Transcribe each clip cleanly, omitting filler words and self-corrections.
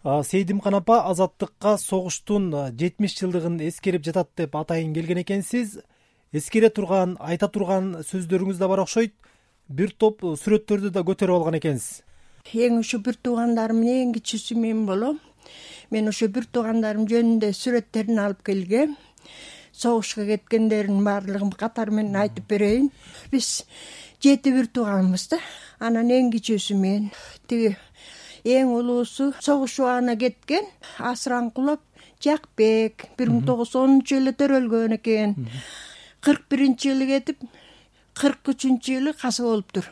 Сейдимкан апа Азаттыкка согуштун 70 жылдыгын эскерип жатат деп атайын келген экенсиз. Эскере турган, айта турган сөздөрүңүз да бар окшойт. Бир топ сүрөттөрдү да көтөрүп алган экенсиз. Эң ошо бир туугандарымдын эң кичүүсү мен болом. Мен ошо бир туугандарым жөнүндө сүрөттерин алып келгем. Согушка кеткендердин баардыгын катары менен айтып берейин. Биз 7 бир тууганбыз да. Анан эң кичүүсү мен. Тиги эң улуусу согуш убагына кеткен Асыранкулов Жакбек 1910-жылы төрөлгөн экен. 41-жылы кетип 43-жылы каза болуптур.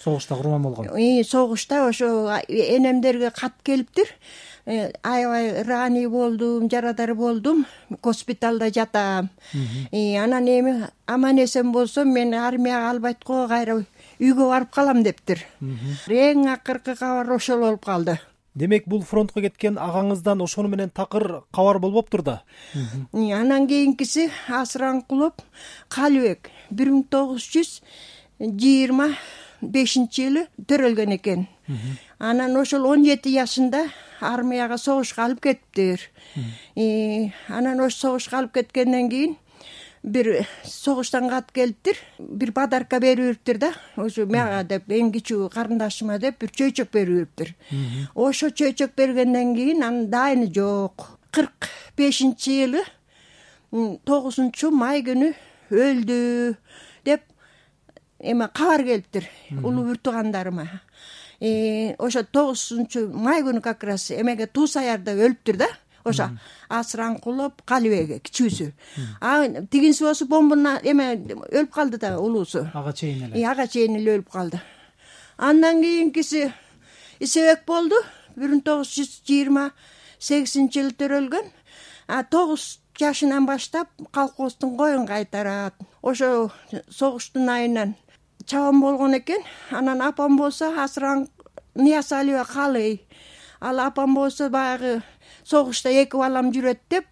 Согушта курман болгон. Согушта ошо энемдерге кат келиптир. Аябай рани болдум, жарадар болдум. Госпиталда жатам. Анан эми аман эсен болсом мен армияга албайт го, кайра үйгө барып калам дептир. Эң акыркы кабар ошол болуп калды. Демек бул фронтко кеткен агаңыздан ошону менен такыр кабар болбоптур да. Анан кийинкиси Асыранкулов Калыбек 1925-жылы төрөлгөн экен. Анан ошол 17 жашында армияга согушка алып кетиптир. Анан ошо согушка алып кеткенден кийин бир согуштан кат келиптир. Бир подарка бериптир да. Ошо мага деп эң кичүү карындашыма деп бир чөйчөк бериптир. Ошо чөйчөк бергенден кийин анын дайыны жок. 45-жылы 9 күнү өлдү деп кабар келиптир улуу бир туугандарыма. Ошо 9 май күнү как раз эмеге Туусаярда өлүптүр да. Ошо Асыранкулов Калыбек кичүүсү. Тигинси болсо бомбана өлүп калды да улуусу. Ага чейин эле. Ага чейин эле өлүп калды. Андан кийинкиси Исебек болду. 1928-жылы төрөлгөн. 9 жашынан баштап колхоздун коюн кайтарат. Ошо согуштун айынан чабан болгон экен. Анан апам болсо Ниязалиева Калый. Ал апам болсо баягы согушта 2 балам жүрөт деп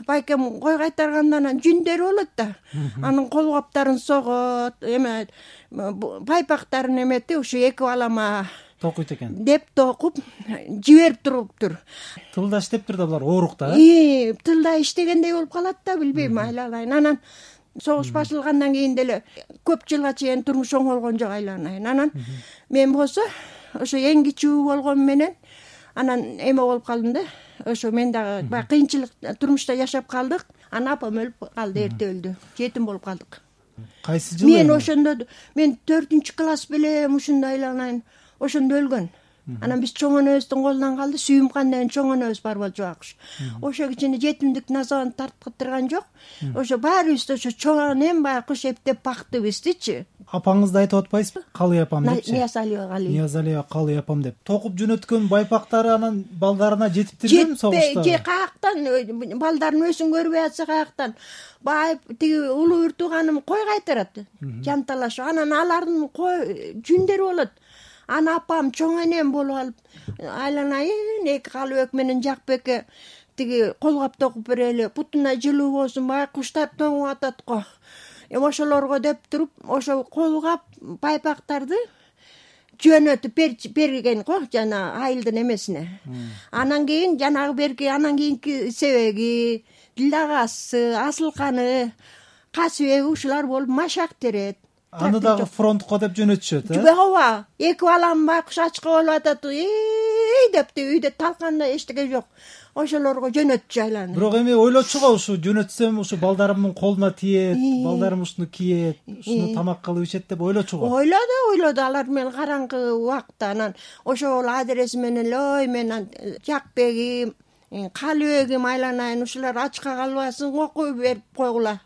байкем кой кайтаргандан анан жүндөрү болот да. Анын кол каптарын согот, байпактарын эметип ушу 2 балама токуйт экен. Деп токуп жиберип туруптур. Тылда иштептир да булар оорук да. Тылда иштегендей болуп калат да, билбейм, айланайын. Анан согуш башылгандан кийин деле көп жылга чейин турмуш оңолгон жок, айланайын. Анан мен болсо ошо эң кичүү болгон менен анан болуп калдым да. Ошо мен дагы баягы кыйынчылык турмушта жашап калдык. Анан апам өлүп калды, эрте өлдү. Жетим болуп калдык. Кайсы жылы? Мен ошондо 4-класс белем, ушундай айланайын. Ошондо өлгөн. Анан биз чоң энебиздин колунан калды. Сүйүмкан деген чоң энебиз бар болчу акш. Ошо кичине жетимдиктин азабын тарткыттырган жок. Ошо баарыбызды ошо чоң энем баягы куш эптеп бакты биздичи. Апаңызды айтып атпайсызбы? Калый апам депчи. Ниязалиева Калый апам деп. Токуп жөнөткөн байпактары анан балдарына жетиптирбеми согушта? Каяктан балдарын өзүн көрбөй атса каяктан. Байып тиги улуу бир тууганым кой кайтарат. Жанталашып. Анан алардын кой жүндөрү болот. Анан апам чоң энем болуп алып айланайын 2 Калыбек менен Жакбекке тиги колгап токуп берели. Бутуна жылуу болсун, баягы куштар тоңуп атат го. Ошолорго деп туруп, ошо колгап байпактарды жөнөтүп берген го, жана айылдын эмесине. Анан кийин жанагы анан кийинки Себеги, Дилдагасы, Асылканы, Касыбеги ушулар болуп машак терет. Аны дагы фронтко деп жөнөтүшөт, Ооба, 2 балам байкуш ачка болуп атат. Депти үйдө талканда эчтеке жок. Ошолорго жөнөтчү айланып. Бирок ойлочу го, ушу жөнөтсөм ушу балдарымдын колуна тиет, балдарым ушуну кийет, ушуну тамак кылып ичет деп ойлочу го. Ойлоду, алар менен караңгы убакта. Анан ошол адреси менен ой мен Жакбегим, Калыбегим айланайын, ушулар ачка калбасын, окуй берип койгула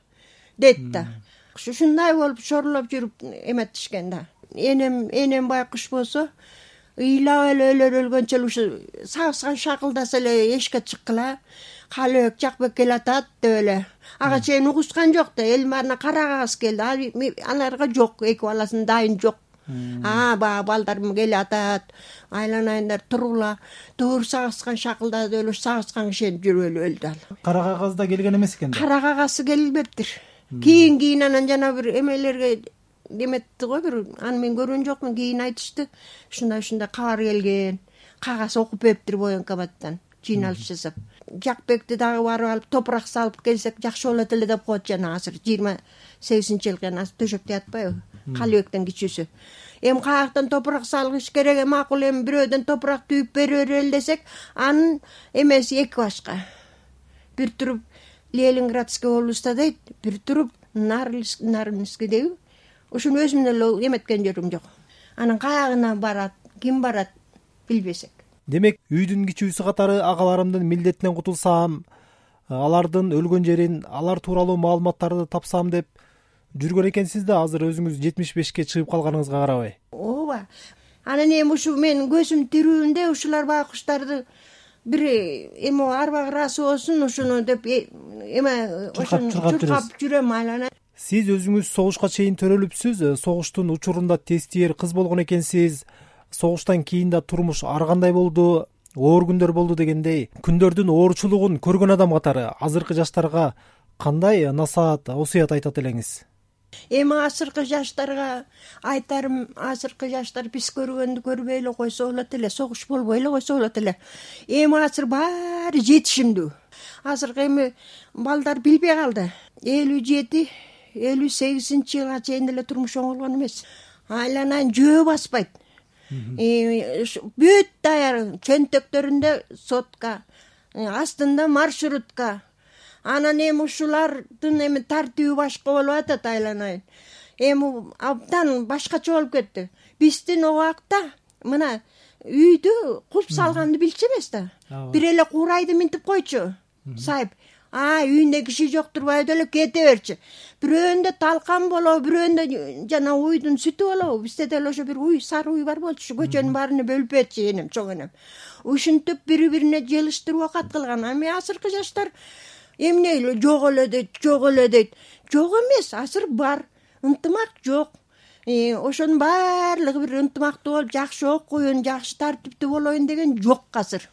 дейт да. Ушундай болуп шорлоп жүрүп эметишкен да. Энем байкуш болсо ыйлап эле өлгөнчө ушу сагышкан шакылдаса эле эшикке чыккыла. Калыбек Жакбек келатат деп эле. Ага чейин угушкан жок да, эл баарына карагыбыз келди. Аларга жок, 2 баласынын дайын жок. Баягы балдарым келатат. Айланайындар тургула. Туур сагышкан шакылдады эле, сагышкан кишинип жүрүп эле өлдү ал. Кара кагаз да келген эмес экен да. Кара кагазы келбептир. Кийин анан жана бир эмелерге деметти го, бир аны мен көргөн жокмун, кийин айтышты. Ушундай кабар келген. кагаз окуп бериптир военкоматтан жыйналыш жасап. Жакбекти дагы барып алып топурак салып келсек жакшы болот эле деп коет. Жана азыр 28-жылкы азыр төшөктө ятпайбы? Калыбектен кичүүсү. Эми каяктан топурак салгыш керек, макул эми бирөөдөн топурак түйүп бере берели десек, анын эмеси эки башка. Бир туруп Ленинградский областта дейт, бир туруп Нарвский дейби. Ошону өзүм эле эметкен жерим жок. Анын каягына барат, ким барат билбесек. Демек, үйдүн кичүүсү катары агаларымдын милдетинен кутулсам, алардын өлгөн жерин, алар тууралуу маалыматтарды тапсам деп жүргөн экенсиз да, азыр өзүңүз 75ке чыгып калганыңызга карабай. Ооба. Анан эми ушу менин көзүм тирүүндө ушулар байкуштарды бир эми арбак ырасы болсун ушуну деп эме ошону чуркап жүрөм айлана. Сиз өзүңүз согушка чейин төрөлүпсүз, согуштун учурунда тестиер кыз болгон экенсиз. Согуштан кийин да турмуш ар кандай болду, оор күндөр болду дегендей, күндөрдүн оорчулугун көргөн адам катары азыркы жаштарга кандай насаат, осуят айтат элеңиз? Эми азыркы жаштарга айтарым, азыркы жаштар биз көргөндү көрбөй эле койсо болот эле, согуш болбой эле койсо болот эле. Эми азыр баары жетишимдүү. Азыркы эми балдар билбей калды. 57-58-жылга чейин эле турмуш оңолгон эмес. Айланайын жөө баспайт. Бүт даяр, чөнтөктөрүндө сотка, астында маршрутка. Анан эми ушулардын эми тартиби башка болуп атат айланайын. Эми абдан башкача болуп кетти. Биздин убакта мына үйдү кулп салганды билчү эмес да. Бир эле курайды минтип койчу. Сайып. Үйүндө киши жок турбайбы эле кете берчи. Бирөөндө талкан болобу, бирөөндө жана уйдун сүтү болобу. Бизде деле ошо бир уй, сары уй бар болчу. Көчөнүн баарына бөлүп берчи энем, чоң энем. Ушинтип бири-бирине желиштирип окат кылган. Эми азыркы жаштар эмне эле жок эле дейт, жок эле дейт. Жок эмес, азыр бар. Ынтымак жок. Ошонун баардыгы бир ынтымактуу болуп, жакшы окуйун, жакшы тартиптүү болоюн деген жок азыр.